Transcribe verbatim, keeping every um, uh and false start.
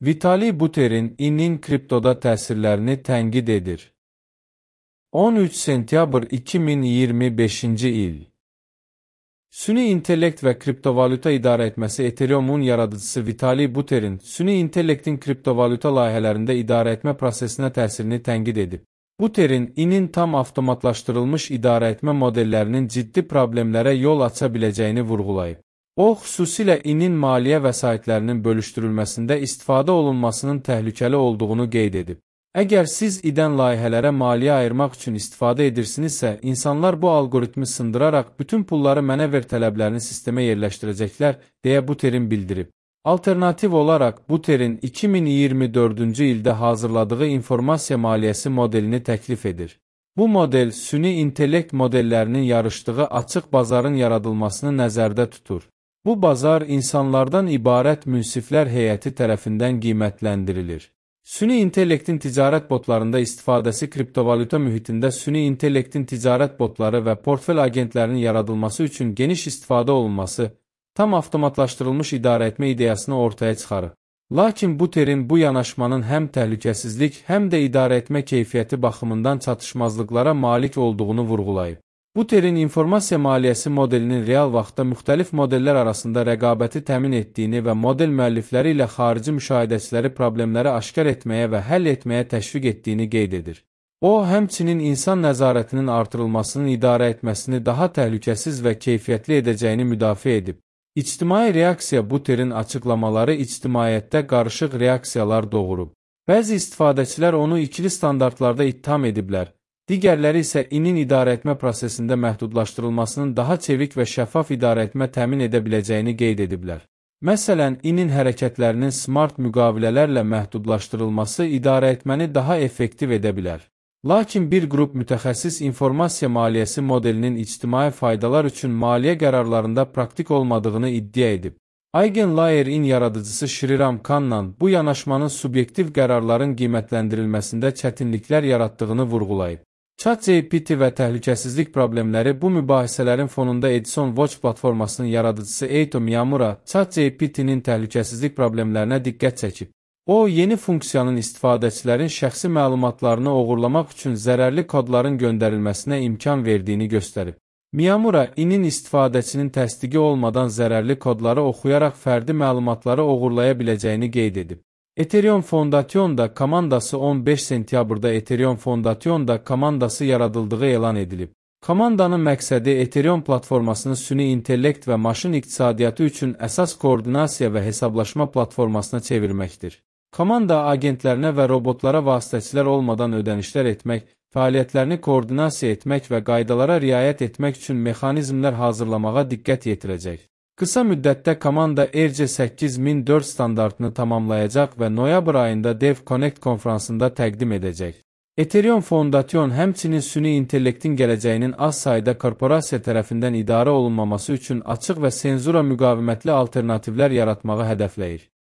Vitalik Buterin İ-nin kriptoda təsirlərini tənqid edir. on üç sentyabr iki min iyirmi beşinci il. Süni intellekt və kriptovalyuta idarə etməsi Ethereumun yaradıcısı Vitalik Buterin süni intellektin kriptovalyuta layihələrində idarə etmə prosesinə təsirini tənqid edib. Buterin İ-nin tam avtomatlaşdırılmış idarə etmə modellərinin ciddi problemlərə yol aça biləcəyini vurğulayıb. O, xüsusilə İ-nin maliyyə vəsaitlərinin bölüşdürülməsində istifadə olunmasının təhlükəli olduğunu qeyd edib. Əgər siz İ-dən layihələrə maliyyə ayırmaq üçün istifadə edirsinizsə, insanlar bu algoritmi sındıraraq bütün pulları mənə ver tələblərini sistemə yerləşdirəcəklər, deyə Buterin bildirib. Alternativ olaraq, Buterin iki min iyirmi dördüncü ildə hazırladığı informasiya maliyyəsi modelini təklif edir. Bu model, süni intellekt modellərinin yarışdığı açıq bazarın yaradılmasını nəzərdə tutur. Bu bazar insanlardan ibarət münsiflər heyəti tərəfindən qiymətləndirilir. Süni intellektin ticarət botlarında istifadəsi kriptovalyuta mühitində süni intellektin ticarət botları və portfel agentlərinin yaradılması üçün geniş istifadə olunması, tam avtomatlaşdırılmış idarə etmə ideyasını ortaya çıxarır. Lakin Buterin bu yanaşmanın həm təhlükəsizlik, həm də idarə etmə keyfiyyəti baxımından çatışmazlıqlara malik olduğunu vurğulayıb. Buterin informasiya maliyyəsi modelinin real vaxtda müxtəlif modellər arasında rəqabəti təmin etdiyini və model müəllifləri ilə xarici müşahidəçiləri problemləri aşkar etməyə və həll etməyə təşviq etdiyini qeyd edir. O, həmçinin insan nəzarətinin artırılmasının idarə etməsini daha təhlükəsiz və keyfiyyətli edəcəyini müdafiə edib. İctimai reaksiya Buterin açıqlamaları ictimaiyyətdə qarışıq reaksiyalar doğurub. Bəzi istifadəçilər onu ikili standartlarda ittiham ediblər. Digərləri isə İ-nin idarə etmə prosesində məhdudlaşdırılmasının daha çevik və şəffaf idarə etmə təmin edə biləcəyini qeyd ediblər. Məsələn, İ-nin hərəkətlərinin smart müqavilələrlə məhdudlaşdırılması idarə etməni daha effektiv edə bilər. Lakin bir qrup mütəxəssis informasiya maliyyəsi modelinin ictimai faydalar üçün maliyyə qərarlarında praktik olmadığını iddia edib. Eigenlayer-in yaradıcısı Shriram Kannan bu yanaşmanın subyektiv qərarların qiymətləndirilməsində çətinliklər yaratdığını vurğulayıb. ChatGPT və təhlükəsizlik problemləri bu mübahisələrin fonunda Edison Watch platformasının yaradıcısı Eito Miyamura ChatGPT-nin təhlükəsizlik problemlərinə diqqət çəkib. O, yeni funksiyanın istifadəçilərin şəxsi məlumatlarını oğurlamaq üçün zərərli kodların göndərilməsinə imkan verdiyini göstərib. Miyamura, İ-nin istifadəçinin təsdiqi olmadan zərərli kodları oxuyaraq fərdi məlumatları oğurlaya biləcəyini qeyd edib. Ethereum Foundation-da komandası on beş sentyabrda Ethereum Foundation-da komandası yaradıldığı elan edilib. Komandanın məqsədi Ethereum platformasını süni intellekt və maşın iqtisadiyyatı üçün əsas koordinasiya və hesablaşma platformasına çevirməkdir. Komanda agentlərinə və robotlara vasitəçilər olmadan ödənişlər etmək, fəaliyyətlərini koordinasiya etmək və qaydalara riayət etmək üçün mexanizmlər hazırlamağa diqqət yetirəcək. Qısa müddətdə komanda E R C səkkiz min dörd standartını tamamlayacaq və noyabr ayında Dev Connect konfransında təqdim edəcək. Ethereum Foundation həmçinin süni intellektin gələcəyinin az sayda korporasiya tərəfindən idarə olunmaması üçün açıq və senzura müqavimətli alternativlər yaratmağı hədəfləyir.